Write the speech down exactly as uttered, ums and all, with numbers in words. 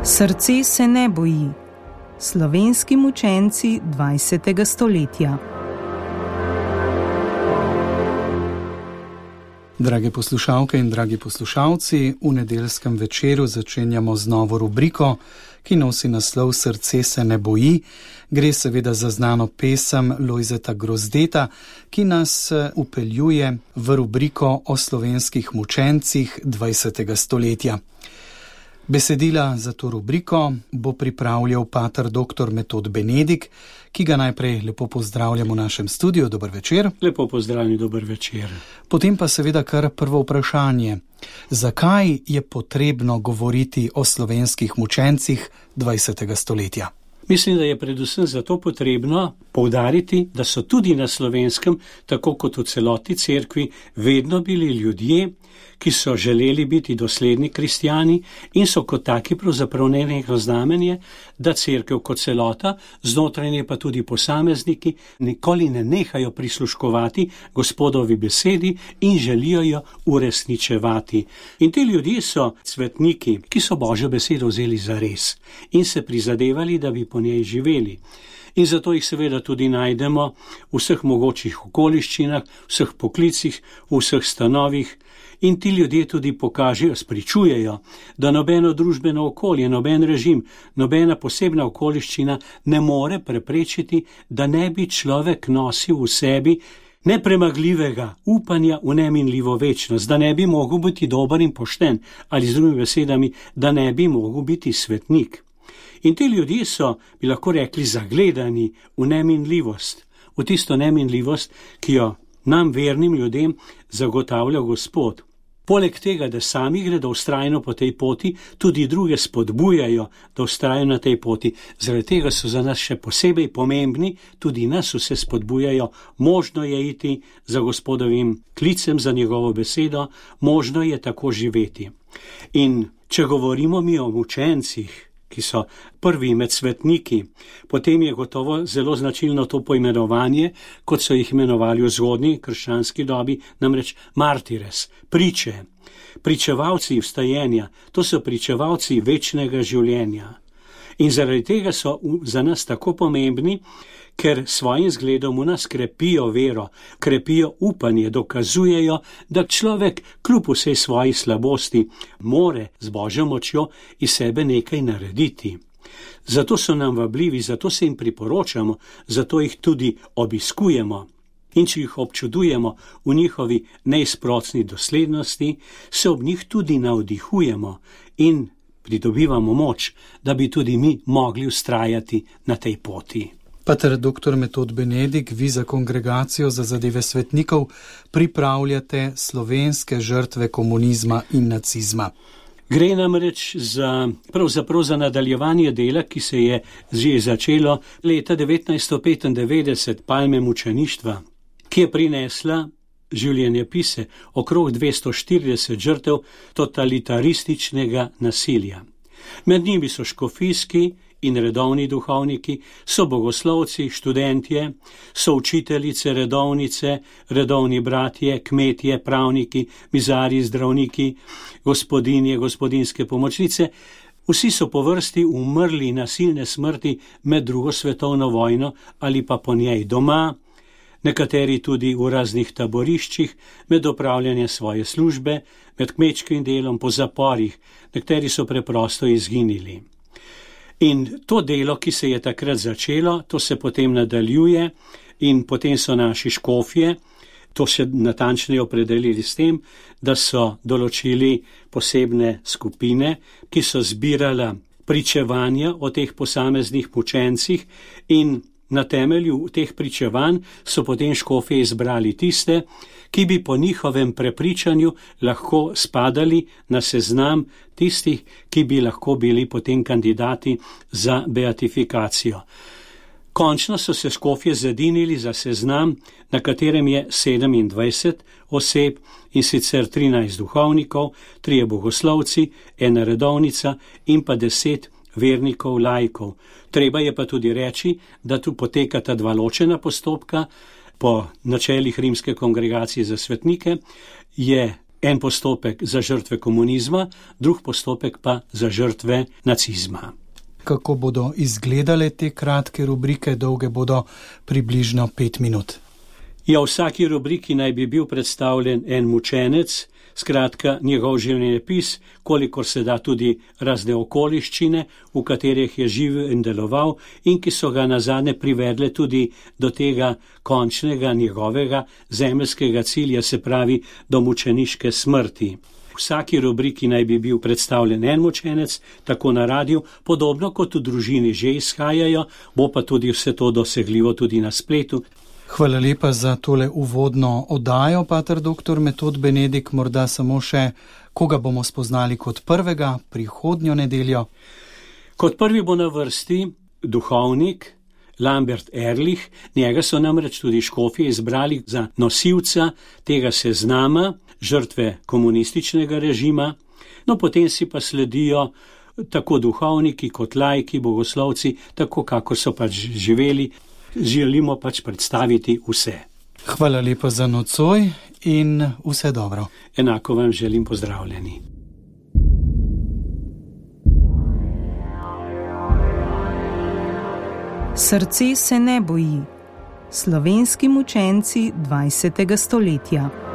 Srce se ne boji. Slovenski mučenci dvajsetega stoletja. Drage poslušalke in dragi poslušalci, v nedeljskem večeru začenjamo z novo rubriko, ki nosi naslov Srce se ne boji. Gre seveda za znano pesem Lojzeta Grozdeta, ki nas upeljuje v rubriko o slovenskih mučencih dvajsetega stoletja. Besedila za to rubriko bo pripravljal pater doktor Metod Benedik, ki ga najprej lepo pozdravljam v našem studiu. Dober večer. Lepo pozdravljeni, dober večer. Potem pa seveda kar prvo vprašanje. Zakaj je potrebno govoriti o slovenskih mučencih dvajsetega stoletja? Mislim, da je predvsem zato potrebno poudariti, da so tudi na Slovenskem, tako kot v celoti cerkvi, vedno bili ljudje, ki so želeli biti dosledni kristjani in so kot taki pravzaprav nenehno znamenje, da cerkev kot celota, znotraj nje pa tudi posamezniki, nikoli ne nehajo prisluškovati Gospodovi besedi in želijo jo uresničevati. In ti ljudje so svetniki, ki so Božjo besedo vzeli za res in se prizadevali, da bi po njej živeli. In zato jih seveda tudi najdemo v vseh mogočih okoliščinah, vseh poklicih, v vseh stanovih. In ti ljudje tudi pokažejo, spričujejo, da nobeno družbeno okolje, noben režim, nobena posebna okoliščina ne more preprečiti, da ne bi človek nosil v sebi nepremagljivega upanja v neminljivo večnost, da ne bi mogel biti dober in pošten, ali z drugimi besedami, da ne bi mogel biti svetnik. In ti ljudje so, bi lahko rekli, zagledani v neminljivost, v tisto neminljivost, ki jo nam vernim ljudem zagotavlja Gospod. Poleg tega, da sami gredo vztrajno po tej poti, tudi druge spodbujajo, da vztrajajo na tej poti. Zaradi tega so za nas še posebej pomembni, tudi nas vse spodbujajo, možno je iti za Gospodovim klicem, za njegovo besedo, možno je tako živeti. In če govorimo mi o mučencih, ki so prvi med svetniki, potem je gotovo zelo značilno to poimenovanje, kot so jih imenovali v zgodnji krščanski dobi, namreč martires, priče, pričevalci vstajenja, to so pričevalci večnega življenja. In zaradi tega so za nas tako pomembni, ker svojim zgledom v nas krepijo vero, krepijo upanje, dokazujejo, da človek kljub vsej svoji slabosti more z Božjo močjo iz sebe nekaj narediti. Zato so nam vabljivi, zato se jim priporočamo, zato jih tudi obiskujemo. In če jih občudujemo v njihovi neizprocni doslednosti, se ob njih tudi navdihujemo in pridobivamo moč, da bi tudi mi mogli vztrajati na tej poti. Pater doktor Metod Benedik, vi za Kongregacijo za zadeve svetnikov pripravljate slovenske žrtve komunizma in nacizma. Gre namreč za, pravzaprav za nadaljevanje dela, ki se je že začelo leta devetnajststo petindevetdeset, palme mučeništva, ki je prinesla življenjepise okrog dvesto štirideset žrtev totalitarističnega nasilja. Med njimi so škofijski in redovni duhovniki, so bogoslovci, študentje, so učiteljice, redovnice, redovni bratje, kmetje, pravniki, mizarji, zdravniki, gospodinje, gospodinske pomočnice. Vsi so po vrsti umrli nasilne smrti med drugo svetovno vojno ali pa po njej doma, nekateri tudi v raznih taboriščih, med opravljanjem svoje službe, med kmečkim delom, po zaporih, nekateri so preprosto izginili. In to delo, ki se je takrat začelo, to se potem nadaljuje in potem so naši škofje to še natančneje opredelili s tem, da so določili posebne skupine, ki so zbirala pričevanja o teh posameznih mučencih in na temelju teh pričevanj so potem škofje izbrali tiste, ki bi po njihovem prepričanju lahko spadali na seznam tistih, ki bi lahko bili potem kandidati za beatifikacijo. Končno so se škofje zedinili za seznam, na katerem je sedemindvajset oseb in sicer trinajst duhovnikov, trije bogoslovci, ena redovnica in pa deset vernikov, laikov. Treba je pa tudi reči, da tu potekata dva ločena postopka. Po načelih Rimske kongregacije za svetnike je En postopek za žrtve komunizma, drug postopek pa za žrtve nacizma. Kako bodo izgledale te kratke rubrike, dolge bodo približno pet minut? Ja, v vsaki rubriki naj bi bil predstavljen en mučenec, skratka njegov življenjepis, kolikor se da tudi razne okoliščine, v katerih je živel in deloval in ki so ga nazadnje privedle tudi do tega končnega njegovega zemeljskega cilja, se pravi do mučeniške smrti. V vsaki rubriki naj bi bil predstavljen en mučenec, tako na radiju, podobno kot v družini že izhajajo, bo pa tudi vse to dosegljivo tudi na spletu. Hvala lepa za tole uvodno oddajo, pater doktor Metod Benedik. Morda samo še, koga bomo spoznali kot prvega prihodnjo nedeljo? Kot prvi bo na vrsti duhovnik Lambert Ehrlich, njega so namreč tudi škofje izbrali za nosilca tega seznama žrtve komunističnega režima, no potem si pa sledijo tako duhovniki kot laiki, bogoslovci, tako kakor so pač živeli. Želimo pač predstaviti vse. Hvala lepa za nocoj in vse dobro. Enako vam želim, pozdravljeni. Srce se ne boji. Slovenski mučenci dvajsetega stoletja.